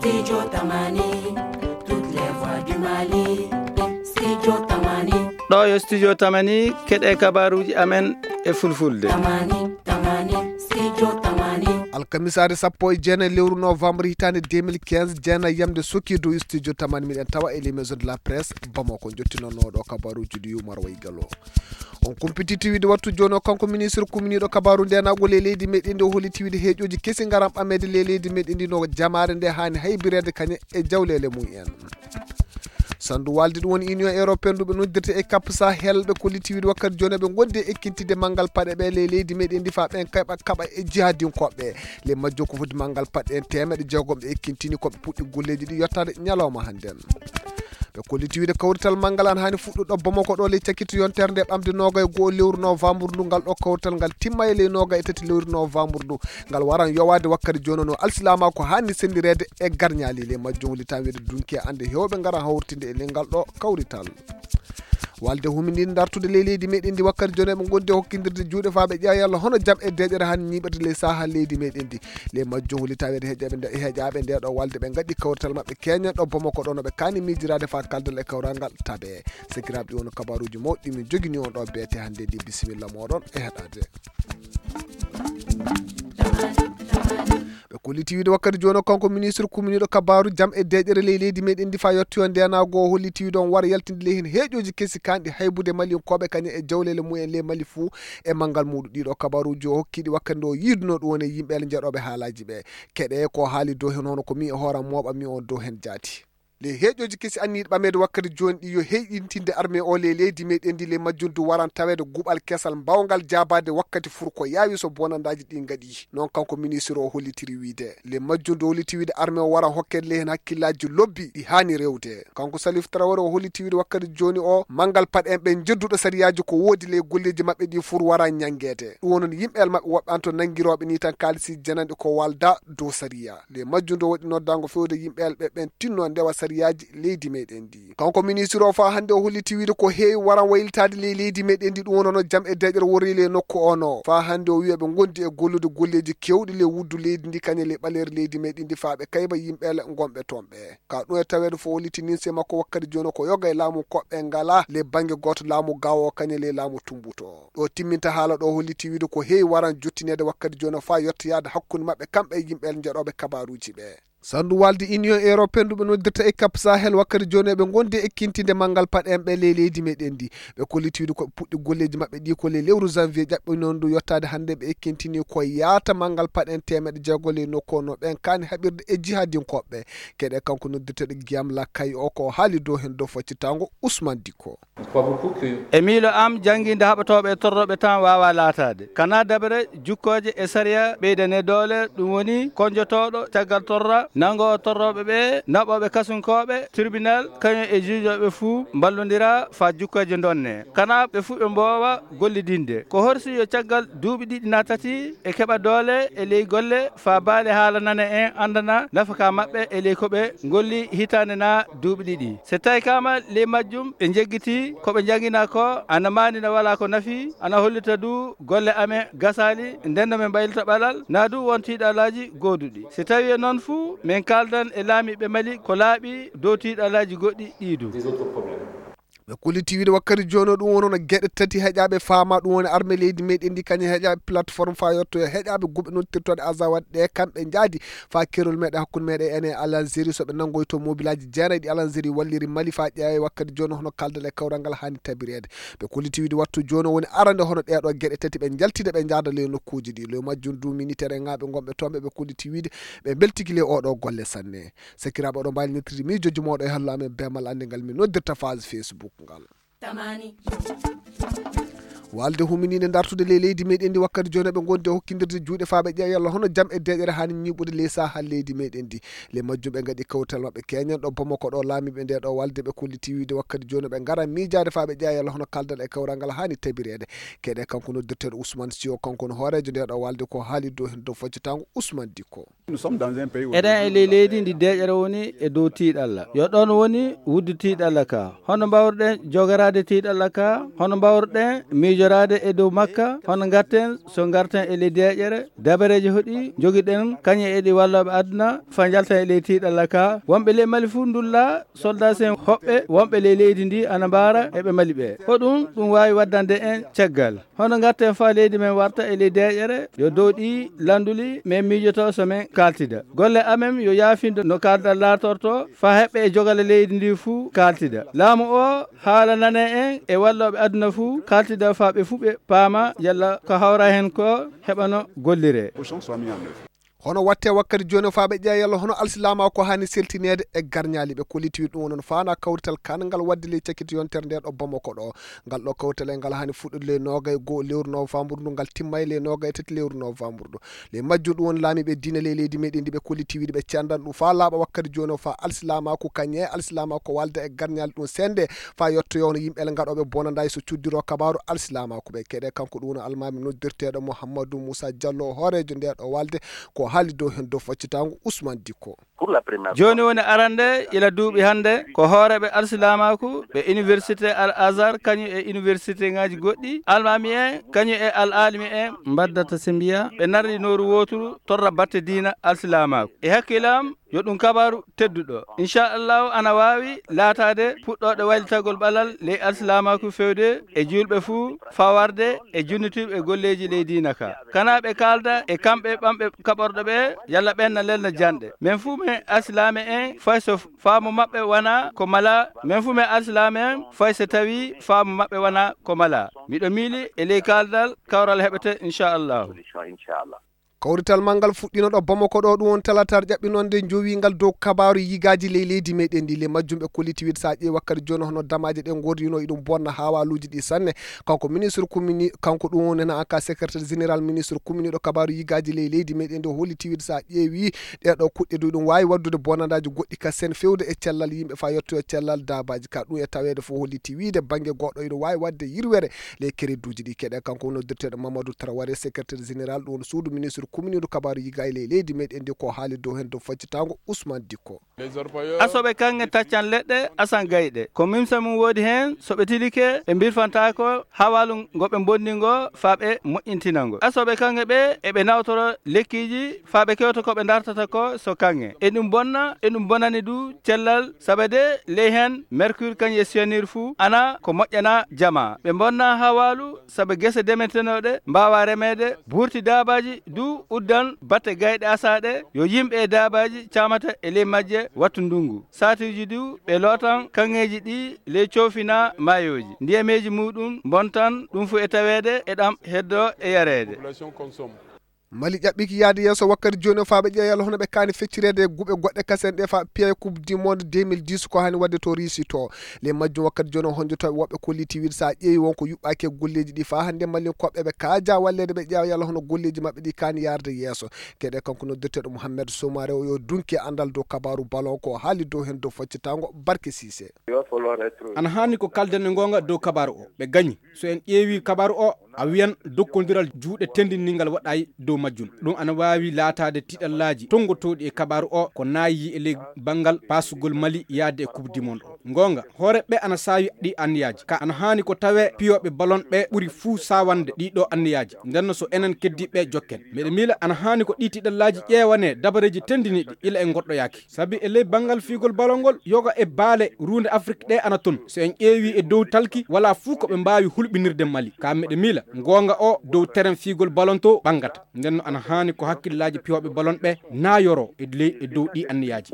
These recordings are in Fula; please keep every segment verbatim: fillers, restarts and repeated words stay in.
Studio Tamani, toutes les voix du Mali. Studio Tamani. Ɗo yo Studio Tamani, keɗe kabaruji amen e fulfulde. Tamani, Tamani, Studio Tamani. Alkamisaare sappo e jeenayi lewru novembre hitaande deux mille quinze, jeenayi yamde sokki dow Studio Tamani, miɗen tawa e les maisons de la presse Bamako. Jottinonno ɗo kabaruji ɗi Umar Waygalo. On kumpiti tiwide wattu jooni o, kanko ministre kuminiiɗo kabaaru ndenaagu le leydi meɗen ndi, o holliti wiide heeƴooji kesi ngaran ɓameede le leydi meɗen ndi, no jamaare nde haani haybireede kañe e jawleele mum en. Sandu walde ɗum woni Union Européenne, ɗum ɓe noddirta e Cap Sahel, ɓe kolliti wiide wakkati jooni ɓe ngondi e ekkintinde manngal paɗe ɓe le leydi meɗen ndi, faa ɓen kayɓa kaɓa e jihadinkoɓe. Le majjo ko foti manngal paɗe en teemeɗe jeegom ɓe ekkintini, ko ɓe puɗɗi golleeji ɗi yottaade ñalawma hannden. Ɓe kolliti wiide kawrital manngal an haani fuɗɗuɗo Bamako ɗo ley cakkito yontere nde ɓamde noogay e go'o lewru novembre ndu. Ngal ɗo kawrital ngal timma e ley noogay e tati lewru novembre ndu. Ngal waran yowaade wakkati jooni no alsilaama ko haani senndireede e garñaali. Le majjo wuli tan wiide dunki e annde heewɓe ngara hawritinde e ley ngal ɗo kawrital. Walde huminiinde dartude ley leydi meɗen ndi wakkati jooni ɓe ngondi e hokkindirde juuɗe faa ɓe ƴeewa yalla hono jam e deeƴere haani ñiiɓirde ley saha leydi meɗen ndi. Le majjo wuli tan wiide heeƴaɓe nde, heeƴaɓe nde ɗo walde ɓe ngaɗi kawrital maɓɓe keñen ɗo Bamako ɗo no ɓe kaani miijiraade faa kaldal e kawral ngal tabe. Sakiraaɓe ɗi woni kabaruji mawɗi min jogini on ɗo beete hannde ndi. Bisimilla moɗon e heɗaade. Ɓe kolliti wiide wakkati jooni o kanko ministre kuminiiɗo kabaaru jam e deeƴere ley leydi meɗen ndi faa yettoyo ndenaagu o holliti wiide on wara yaltinde ley heen heeƴooji kesi kanɗi haybude Malinkoɓe kañe e jawleele mumen ley Mali fuu e manngal muuɗum. Ɗiɗo kabaruji o hokkiɗi wakkati nde o yiiduno ɗum woni yimɓe jeeɗooɓe haalaaji ɓe. Keɗe ko haali dow heen hono ko mi e hooram mooɓa mi on dow heen jaati. Le heeƴooji kesi anniyiɗi ɓameede wakkati jooni ɗi yo heyɗintinde armée o le leydi meɗen ndi, le majjum du waran taweede guɓal kesal mbawngal jaabaade wakkati fur ko yaawi so bonandaaji ɗi ngaɗi. Noon kanko ministre o hollitiri wiide, le majjum du holliti wiide armée o waran hokkeede le heen hakkillaaji lobbi ɗi haani rewde. Kanko Salif Traoré o holliti wiide wakkati jooni o manngal paɗe en ɓe jedduɗo sariyaaji ko woodi le golleeji maɓɓe ɗi fur waran ñanngeede. Ɗum woni yimɓe el maɓɓe woɓɓe an to nanngirooɓe ni tan kaalisi jananɗe ko walda dow sariya. Le majjum du waɗi noddaango fewde yimɓe el ɓe ɓen tinno ndewa sariyaaji leydi meɗen ndi. Kanko ministre o faa hannde o holliti wiide ko heewi waran waylitaade ley leydi meɗen ndi ɗum wonono jam e deeƴere worri le nokku o no. Faa hannde o wiya ɓe ngondi e gollude golleeji kewɗi le wuddu leydi ndi kañe le ɓaleeri leydi meɗen ndi faa ɓe kayba yimɓe el ngonɓe toon ɓe. Ka ɗum e taweede fof holliti ninse makko wakkati jooni ko yoga e laamu koɓɓe ngala le bannge gooto laamu gawo kañe le laamu tumbuto. Ɗo timminta haala ɗo holliti wiide ko heewi waran jottineede wakkati jooni faa yettoyaade hakkunde maɓɓe kamɓe e yimɓe el jeeɗooɓe kabaruuji ɓe. Sandu waldi Union Européenne ɗum ɓe noddirta e Cap Sahel wakkati jooni ɓe ngondi e ekkintinde manngal paɗe en ɓe ley leydi meɗen ndi. Ɓe kolliti wiide ko ɓe puɗɗi golleeji maɓɓe ɗi ko ley lewru janvier ƴaɓɓinoondu yottaade hannde ɓe ekkintini ko yaata manngal paɗe en teemeɗe jeego ley nokku o no ɓen kaani haɓirde e jihadinkoɓe. Keɗe kanko noddirteɗo Guillaume Lacaille o ko haali dow heen dow faccitaango Ousmane Dicko. E miilo am, janngiinde haɓotooɓe e torrooɓe tan waawaa laataade. Kanaa daɓere jukkooje e sariya ɓeydane doole, ɗum woni konjotooɗo caggal torra, nanngoowo torrooɓe ɓe, naɓooɓe kasunkooɓe, tribunal, kañum e juujooɓe fuu mballondira faa jukkooje ndonne. Kanaa ɓe fuu ɓe mboowa gollidinde. Ko horsi yo caggal duuɓi ɗiɗi naa tati ɓe keɓa doole e ley golle faa baale haala nana en anndana nafaka maɓɓe e ley ko ɓe ngolli hitaande naa duuɓi ɗiɗi. So tawi kaama ley majjum ɓe njeggitii ko ɓe njannginaa ko, ana maani na walaa ko nafi, ana hollita du golle amen gasaali, nden no min mbaylita ɓalal, naa du won tiiɗalaaji gooduɗi. So tawi e noon fuu, min kaaldan e laamiiɓe Mali ko laaɓi dow tiiɗalaaji goɗɗi ɗii du. Ɓe kolliti wiide wakkati jooni o ɗum wonono geɗe tati heƴaaɓe faama, ɗum woni arme leydi meɗen ndi kañum heƴaaɓe plateforme faa yettoyo heƴaaɓe guɓe noddirtooɗe Azawad ɗe kamɓe njaadi faa kerol meɗen hakkunde meɗen ene Algérie so ɓe nanngoyto mobilaaji jeenayi ɗi Algérie walliri Mali faa ƴeewe wakkati jooni hono kaldal e kawral ngal haani tabireede. Ɓe kolliti wiide wattu jooni o woni arande hono ɗeeɗo geɗe tati ɓe njaltida ɓe njaada ley nokkuuji ɗi. Ley majjum du militaire ŋaaɓe ngonɓe toon ɓe ɓe kolliti wiide ɓe mbeltiki ley oɗo golle sanne. Sakiraaɓe, oɗon mbaawi noddirde miijooji mooɗon e hallo amen beemal annde ngal min noddirta page Facebook ngal. Tamani. Walde huminiinde dartude ley leydi meɗen ndi wakkati jooni ɓe ngondi e hokkindirde juuɗe faa ɓe ƴeewa yalla hono jam e deeƴere haani ñiiɓude ley saha leydi meɗen ndi. Ley majjum ɓe ngaɗi kawtal maɓɓe keñen ɗo Bamako ɗo laamiiɓe nde ɗo walde ɓe kolliti wiide wakkati jooni ɓe ngara miijaade faa ɓe ƴeewa yalla hono kaldal e kawral ngal haani tabireede. Keɗe kanko noddirteeɗo Ousmane Sio, kanko woni hooreejo nde ɗo walde ko haali dow heen dow faccitaango Ousmane Dicko. Eɗen e ley leydi ndi deeƴere woni e dow tiiɗalla. Yo ɗoon woni wuddu tiiɗalla ka. Hono mbaawruɗen jogoraade tiiɗalla ka? Hono mbaawruɗen miijo Joraade e dow makka, hono ngarten, so ngarten e ley deeƴere, dabareeji hoɗi njogiɗen, kañe e ɗi wallooɓe aduna, fa njalten e ley tiiɗalla ka. Wonɓe ley Mali fuu ndulla, soldaas en hoɓɓe, wonɓe ley leydi ndi ana mbaara e ɓe Mali ɓe. Hoɗum ɗum waawi waddande en caggal? Hono ngarten fa leydi men warta e ley deeƴere, yo dow ɗi lannduli men miijoto so men kaaltida. Golle amen yo yaafindo no kaalda laatorto, fa heɓɓe e jogale leydi ndi fuu kaaltida. Laamu o haala nane en e wallooɓe aduna fuu kaaltida fa ɓe fuu ɓe paama yalla ko hawra hen ko heɓano gollire. Hono watte wakkati jooni o faa ɓe ƴeewa yalla hono alsilaamaaku haani seltineede e garñaali ɓe kollitiwi ɗum woni faana kawrital kanangal waɗde ley cakkiti yontere nde ɗo Bamako ɗo. Ngal ɗo kawrital e ngal haani fuɗɗude ley noogay e goo lewru novembre ndu, ngal timma e ley noogay e tati lewru novembre ndu. Ley majjum ɗum woni laamiiɓe diine ley leydi meɗen ndi ɓe kollitiwiiɗi ɓe cendan ɗum faa laaɓa wakkati jooni o faa alsilaamaaku kañe alsilaamaaku ko walda e garñaali ɗum sende faa yottoyoo hono yimɓe ele ngaɗooɓe bonandaaji so cuddiroo kabaaru alsilaamaaku ɓe keɗe kanko ɗum woni almaami noddirteeɗo Mouhamadou Moussa Diallo hooreejo nde ɗo walde ko haali dow heen dow faccitaango Ousmane Dikko. Jooni woni arande ila duuɓi hannde ko hooreeɓe alsilaamaaku ɓe université Al Azhar kañum e université ŋaaji goɗɗi almaami en kañum e al alimi en mbaddata simbiya ɓe narri nooru wooturu torra batte diina alsilaamaaku e hakkilam yo ɗum kabaaru tedduɗo inchallahu ana waawi laataade puɗɗooɗo waylitagol ɓalal ley alsilaamaaku fewde e juulɓe fuu fawarde e junnitiiɓe e golleeji ley diina ka kana ɓe kaalda e kamɓe ɓamɓe kaɓorɗo ɓe yalla ɓen na lelna janɗe men fuu men alsilaame en fay so faamu maɓɓe wona ko mala men fuu men alsilaame en fay so tawi faamu maɓɓe wona ko mala miɗo miili e ley kaaldal kawral heɓete inchallahu. Kawrital manngal fuɗɗiino ɗo Bamako ɗo ɗum won talatar ƴaɓɓinonde njowiingal dow kabaaru yigaaji ley leydi meɗen ndi le majjum ɓe kolliti wiide so a ƴeewi wakkati jooni hono damaaje ɗe ngordino iɗum bonna haawaaluuji ɗi sanne. Kanko ministre commune kanko ɗum woni hena ka secrétaire général ministre commune ɗo kabaaru yigaaji ley leydi meɗen ndi o holliti wiide so a ƴeewi ɗeɗo kuɗɗe du ɗum waawi waddude bonandaaji goɗɗi ka sen fewde e cellal yimɓe faa yettoyo cellal daabaaji ka ɗum e taweede fof holliti wiide bannge goɗɗo iɗum waawi wadde yirwere ley kereduuji ɗi keɗe kanko woni noddirteeɗo Mamadou Traoré secrétaire général ɗum woni suudu ministre commune du kabaaru yiga e ley leydi meɗen ndi ko haali dow heen dow faccitaango Ousmane Dikko. Asoɓe kaŋŋe taccan leɗɗe asan gayɗe ko mimsa mum woodi heen so ɓe tilike ɓe mbirfantaako hawaalu ngo ɓe mbonni ngo faa ɓe moƴƴintina ngo asoɓe kaŋŋe ɓe eɓe nawtoro lekkiiji faa ɓe kewta ko ɓe ndartata ko so kaŋŋe eɗum bonna eɗum bonani du cellal saba de ley heen mercure kañum e cyanure fuu ana ko moƴƴana jama ɓe mbonna hawaalu saba gese demetenooɗe mbaawa remeede buurti daabaaji du uddan batte gayɗe asaaɗe yo yimɓe e daabaaji caamata e ley majje wattu ndunngu saatiiji du ɓe lootan kaŋŋeeji ɗi ley coofina maayooji ndiyameeji muuɗum mbontan ɗum fuu e taweede e ɗam heddo e yareede. Mali ƴaɓɓiki yahde yeeso wakkati jooni o faa ɓe ƴeewa yalla hono ɓe kaani feccireede e guɓe goɗɗe kasen ɗe faa piya e coupe du monde deux mille dix ko haani waɗde to Russie to. Ley majjum wakkati jooni o honjotooɓe woɓɓe kolliti wiide so a ƴeewi won ko yuɓɓaaki e golleeji ɗi faa hannde Malinkooɓe ɓe kaaja walleede ɓe ƴeewa yalla hono golleeji maɓɓe ɗi kaani yaarde yeeso. Keɗe kanko noddirteeɗo Mouhamed Soumaré o yo dunki e anndal dow kabaaru ballon ko o haali dow heen dow faccitaango Barke Cissé. Ana haani ko kalden e ngoonga dow kabaaru o ɓe gañi. So en ƴeewi kabaaru o a wiyan dokkondiral juuɗe tendinningal waɗaay dow majjum ɗum ana waawi laataade tiɗallaaji tonngotooɗi e kabaaru o ko naayi e ley banngal paasugol Mali yaade e coupe du monde o ngoonga hoore ɓe ana saawi ɗi anniyaaji ka ana haani ko tawee piyooɓe ballon ɓe ɓuri fuu saawande ɗii ɗoo anniyaaji ndenno so enen keddiiɓe jokken meɗe miila ana haani ko ɗii tiɗallaaji ƴeewanee dabareeji tendiniiɗi ila e ngoɗɗoyaaki sabi e ley banngal fiigol ballon ngol yoga e baale ruunde Afrik ɗe ana ton so en ƴeewi e dow talki wala fuu ko ɓe mbaawi hulɓinirde Mali ka meɗe miila ngoonga o dow teren fiigol ballon to ɓanngata ndenno ana haani ko hakkillaaji piyooɓe ballon ɓe naayoro e ley e dow ɗii anniyaaji.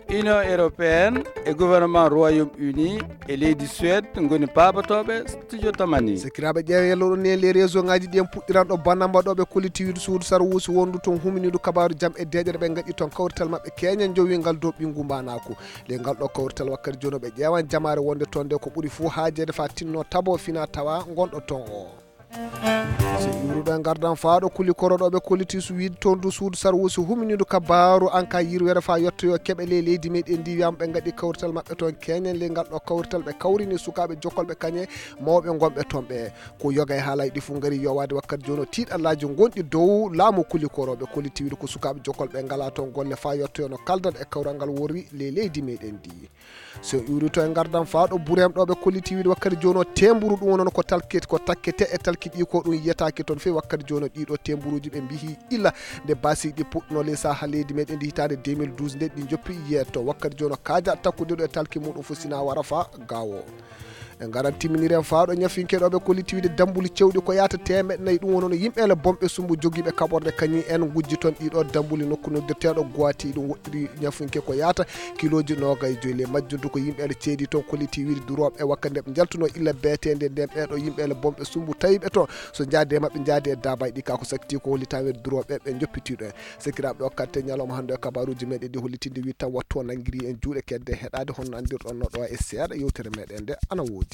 Union européenne e gouvernement Royaume-Uni e leydi Suède ngoni paabotooɓe studio tamani. Sakiraaɓe ƴeewa yalloɗon ni e les réseau ngaji ɗi en puɗɗiranɗo bannamba ɗo ɓe kolliti wiide suudu sarwuusi wondu toon huminiidu kabaaru jam e deeƴere ɓe ngaɗi toon kawrital maɓɓe keeña njowingal dow ɓinngu mbaanaaku. Ley ngal ɗo kawrital wakkati jooni ɓe ƴeewan jamaare wonde toon nde ko ɓuri fuu haajeede faa tinno tabo fina tawa ngonɗo toon o. So iwruɗo e ngardan faaɗo kuli koroɗo ɓe kolliti su wiide toon du suudu sarwuusi huminiidu kabaaru an ka yirwere faa yottoyo keɓe ley leydi meɗen ndi wiyama ɓe ngaɗi kawrital maɓɓe toon keñen ley ngal ɗo kawrital ɓe kawrini sukaaɓe jokkolɓe kañe mawɓe gonɓe toon ɓe ko yoga e haalaaji ɗi fof ngari yowaade wakkati jooni o tiiɗallaaji gonɗi dow laamu kuli koroɓe kolliti wiide ko sukaaɓe jokkolɓe ngala toon golle faa yottoyo no kaldan e kawral ngal worri ley leydi meɗen ndi. So en iwri to e ngardam fawɗo burem ɗo ɓe kolliti wiide wakkati jooni o temburu ɗum wonno ko talkete ko takkete e talki ɗi ko ɗum yiyataake toon feewi wakkati jooni o ɗiɗo temburuji ɓe mbihi illa nde basiɗi puɗɗuno ley saha leydi meɗen ndi hitaande deux mille douze nde ɗi joppi yeeto wakkati jooni o kaaja takkude ɗo e talki muɗum fof sina wara fa gawo. En ngaran timminiri en fawɗo ñafinke ɗo ɓe kolliti wiide dambuli cewɗi ko yata temeɗɗe nayi ɗum wonno yimɓe ele bonɓe sumbu jogiiɓe kaɓorde kañi en gujji toon ɗiɗo dambuli nokku noddirteɗo goiti ɗum woɗɗiri ñafinke ko yata kiloji nogay joyi le majjuntu ko yimɓe ele ceedi toon kolliti wiide durooɓe e wakkati nde ɓe jaltuno illa beetende nden ɓeɗo yimɓe ele bonɓe sumbu tawiɓe toon so jaade e maɓɓe jaade e dabayɗi ka ko sakkiti ko hollita wiide durooɓe ɓe joppitiɗo en. Sekiraɓe o katte ñalawma hannde e kabaruji meɗen ɗi hollitinde wi taw wattu o nanngiri en juuɗe kedde heɗade honno anndirɗon no ɗo e seeɗa yewtere meɗen nde ana woodi.